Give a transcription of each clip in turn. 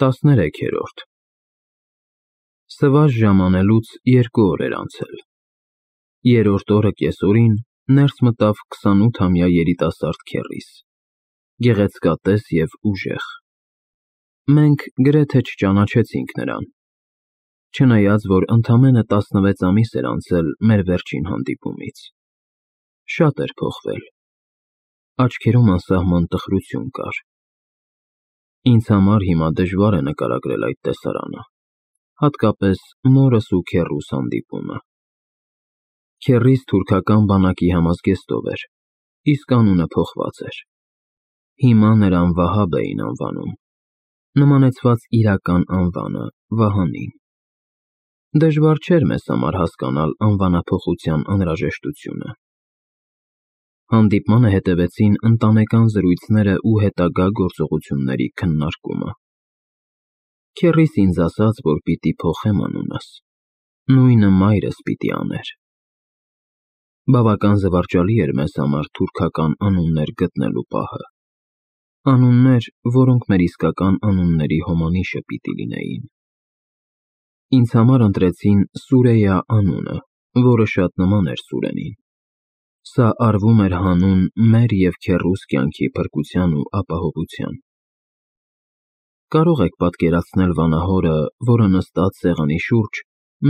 13-րդ Սվազ ժամանելուց 2 օր էր անցել։ Երրորդ օրը կեսօրին ներս մտավ 28-ամյա երիտասարդ քեռիս, գեղեցկատես և ուժեղ։ Մենք գրեթե չճանաչեցինք նրան, չնայած որ ընդամենը 16 ամիս էր անցել մեր վերջին հանդիպումից։ Շատ էր փոխվել, աչքերում անսահման տխրություն կար։ Ինձ համար հիմա դժվար է նկարագրել այդ տեսարանը, հատկապես մորս ու քեռուս հանդիպումը։ Քեռիս թուրքական բանակի համազգեստով էր, իսկ անունը փոխված էր։ Հիմա նրան Վահաբ էին անվանում, նմանեցված իրական անվանը Վահանին։ Դժվար չէր մեզ համար հասկանալ անվանափոխության անհրաժեշտությունը։ Հանդիպմանը հետևեցին ընտանեկան զրույցները ու հետագա գործողությունների քննարկումը։ Քեռիս ինձ ասաց, որ պիտի փոխեմ անունս, նույնը մայրս պիտի աներ։ Բավական զվարճալի էր մեզ համար թուրքական անուններ գտնելու պահը, անուններ, որոնք մեր իսկական անունների հոմանիշը պիտի լինեին։ Ինձ համար ընտրեցին Սուրեյա անունը, որը շատ նման էր Սուրենին։ Սա արվում էր հանուն մեր և քեռուս կյանքի փրկության ու ապահովության։ Կարող եք պատկերացնել վանահորը, որը նստած սեղանի շուրջ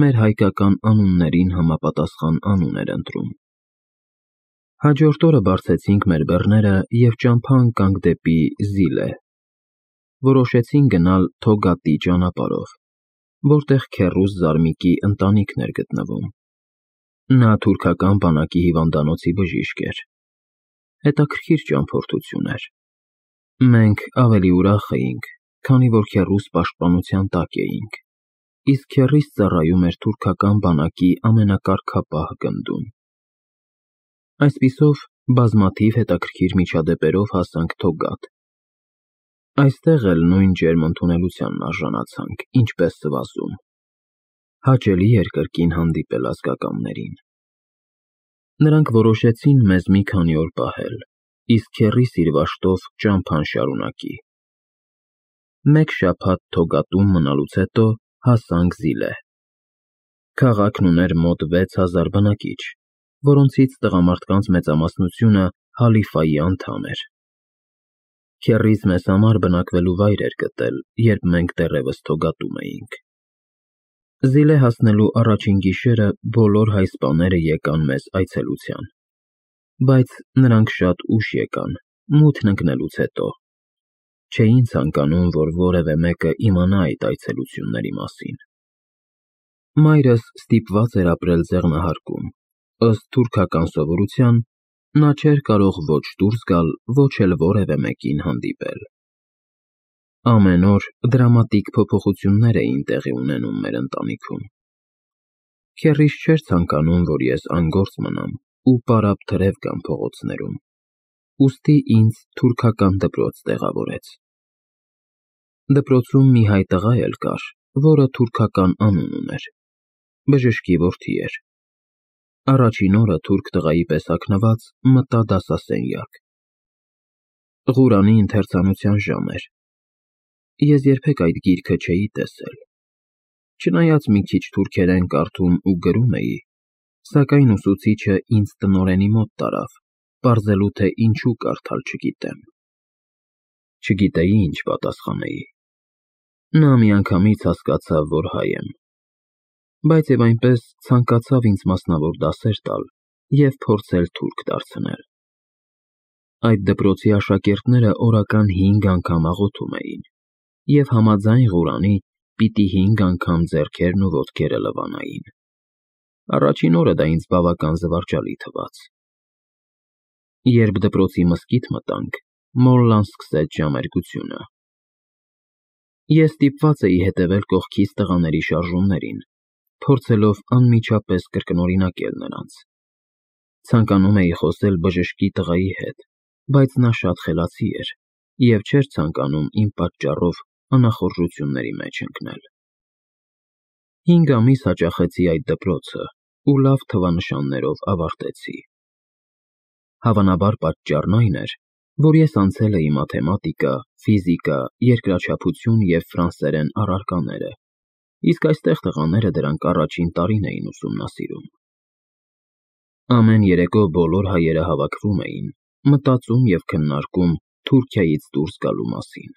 մեր հայկական անուններին համապատասխան անուն էր ընտրում։ Հաջորդ օրը բարձեցինք մեր բեռները և ճամփա ընկանք դեպի Զիլե։ Որոշեցինք գնալ Թոգատի ճանապարհով, որտեղ քեռուս Զարմիկի ընտանիքն էր գտնվում։ Նա թուրքական բանակի հիվանդանոցի բժիշկ էր։ Հետաքրքիր ճամփորդություն էր։ Մենք ավելի ուրախ էինք, քանի որ քեռուս պաշտպանության տակ էինք, իսկ քեռիս ծառայում էր թուրքական բանակի ամենակարգապահ գնդում։ Այսպիսով, բազմաթիվ հետաքրքիր միջադեպերով հասանք Թոգատ։ Այստեղ էլ նույն ջերմ ընդունելությանն արժանացանք, ինչպես Սվազում։ Հաճելի էր կրկին հանդիպել ազգականներին։ Նրանք որոշեցին մեզ մի քանի օր պահել, իսկ քեռիս իր վաշտով ճամփան շարունակի։ Մեկ շաբաթ Թոգատում մնալուց հետո հասանք Զիլե։ Քաղաքն ուներ մոտ 6000 բնակիչ, որոնցից տղամարդկանց մեծամասնությունը Հալիֆայի անդամ էր։ Քեռիս մեզ համար բնակվելու վայր էր գտել, երբ մենք դեռևս Թոգատում էինք։ Զիլե հասնելու առաջին գիշերը բոլոր հայ սպաները եկան մեզ այցելության, բայց նրանք շատ ուշ եկան, մութն ընկնելուց հետո։ Չէին ցանկանում, որ որևէ մեկը իմանա այդ այցելությունների մասին։ Մայրս ստիպված էր ապրել ձեղնահարկում, ըստ թուրքական սովորության, նա չէր կարող ոչ դուրս գալ, ոչ էլ որևէ մեկին հանդիպել։ Ամեն օր դրամատիկ փոփոխություններ էին տեղի ունենում մեր ընտանիքում։ Քեռիս չէր ցանկանում, որ ես անգործ մնամ ու պարապ թրև գամ փողոցներում, ուստի ինձ թուրքական դպրոց տեղավորեց։ Դպրոցում մի հայ տղա էլ կար, որը թուրքական անուն ուներ, բժշկի որդի էր։ Առաջին օրը թուրք տղայի պես հագնված մտա դասասենյակ։ Ղուրանի ընթերցանության ժամ էր։ Ես երբեք այդ գիրքը չէի տեսել։ Չնայած մի քիչ թուրքերեն կարդում ու գրում էի, սակայն ուսուցիչը ինձ տնօրենի մոտ տարավ, պարզելու թե ինչու կարդալ չգիտեմ։ Չգիտեի ինչ պատասխանեի։ Նա միանգամից հասկացավ, որ հայ եմ, բայց և այնպես ցանկացավ ինձ մասնավոր դասեր տալ և փորձել թուրք դարձնել։ Այդ դպրոցի աշակերտները օրական 5 անգամ աղոթում էին և համաձայն Ղուրանի պիտի 5 անգամ ձեռքերն ու ոտքերը լվանային։ Առաջին օրը դա ինձ բավական զվարճալի թվաց։ Երբ դպրոցի մզկիթ մտանք, մոլլան սկսեց ժամերգությունը։ Ես ստիպված էի հետևել կողքից տղաների շարժումներին, փորձելով անմիջապես կրկնօրինակել նրանց։ Ցանկանում էի խոսել բժշկի տղայի հետ, բայց նա շատ խելացի էր և չէր ցանկանում իմ պատճառով անախորժությունների մեջ ընկնել։ 5 ամիս հաճախեցի այդ դպրոցը ու լավ թվանշաններով ավարտեցի։ Հավանաբար պատճառն այն էր, որ ես անցել էի մաթեմատիկա, ֆիզիկա, երկրաչափություն և ֆրանսերեն առարկաները, իսկ այստեղ տղաները դրանք առաջին տարին էին ուսումնասիրում։ Ամեն երեկո բոլոր հայերը հավաքվում էին, մտածում և քննարկում Թուրքիայից դուրս գալու մասին։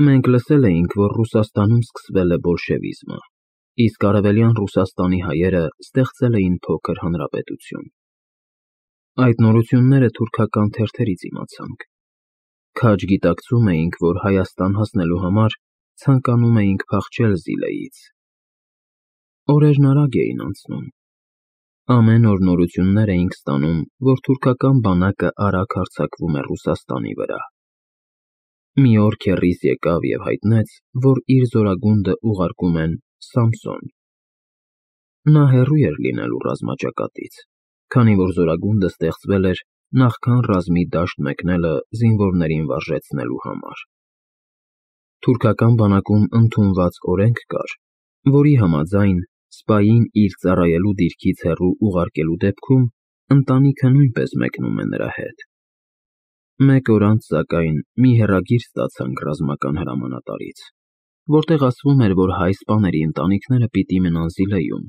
Մենք լսել էինք, որ Ռուսաստանում սկսվել է բոլշևիզմը, իսկ Արևելյան Ռուսաստանի հայերը ստեղծել էին փոքր հանրապետություն։ Այդ նորությունները թուրքական թերթերից իմացանք։ Քաջ գիտակցում էինք, որ Հայաստան հասնելու համար ցանկանում էինք փախչել Զիլեից։ Օրերն արագ էին անցնում։ Ամեն օր նորություններ էինք ստանում, որ թուրքական բանակը արագ հարձակվում է Ռուսաստանի վրա։ Մի օր քեռիս եկավ և հայտնեց, որ իր զորագունդը ուղարկում են Սամսոն։ Նա հեռու էր լինելու ռազմաճակատից, քանի որ զորագունդը ստեղծվել էր նախքան ռազմի դաշտ մեկնելը զինվորներին վարժեցնելու համար։ Թուրքական բանակում ընդունված օրենք կար, որի համաձայն սպային իր ծառայելու դիրքից հեռու ուղարկելու դեպքում ընտանիքը նույնպես մեկնում է նրա հետ։ Մեկ օր անց, սակայն, մի հեռագիր ստացանք ռազմական հրամանատարից, որտեղ ասվում էր, որ հայ սպաների ընտանիքները պիտի մնան Զիլեում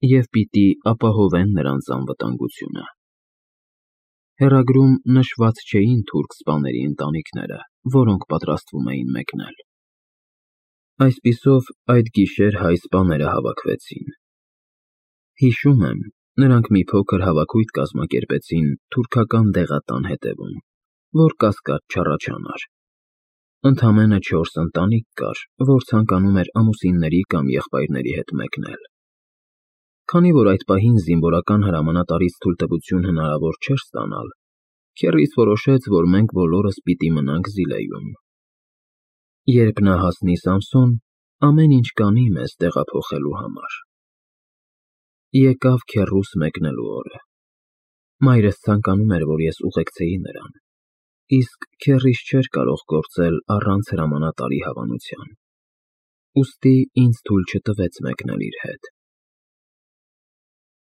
և պիտի ապահովեն նրանց անվտանգությունը։ Հեռագրում նշված չէին թուրք սպաների ընտանիքները, որոնք պատրաստվում էին մեկնել։ Այսպիսով, այդ գիշեր հայ սպաները հավաքվեցին։ Հիշում եմ, նրանք մի փոքր հավաքույթ կազմակերպեցին թուրքական դեղատան հետևում, որ կասկած չառաջանար։ Ընդամենը 4 ընտանիք կար, որ ցանկանում էր ամուսինների կամ եղբայրների հետ մեկնել։ Քանի որ այդ պահին զինվորական հրամանատարից թույլտվություն հնարավոր չէր ստանալ, քեռիս որոշեց, որ մենք բոլորս պիտի մնանք Զիլեում։ Երբ նա հասնի Սամսոն, ամեն ինչ կանի մեզ տեղափոխելու համար։ Եկավ քեռուս մեկնելու օրը։ Մայրս ցանկանում էր, որ ես ուղեկցեի նրան, իսկ քեռիս չէր կարող գործել առանց հրամանատարի հավանության։ Ուստի ինձ թույլ չտվեց մեկնել իր հետ։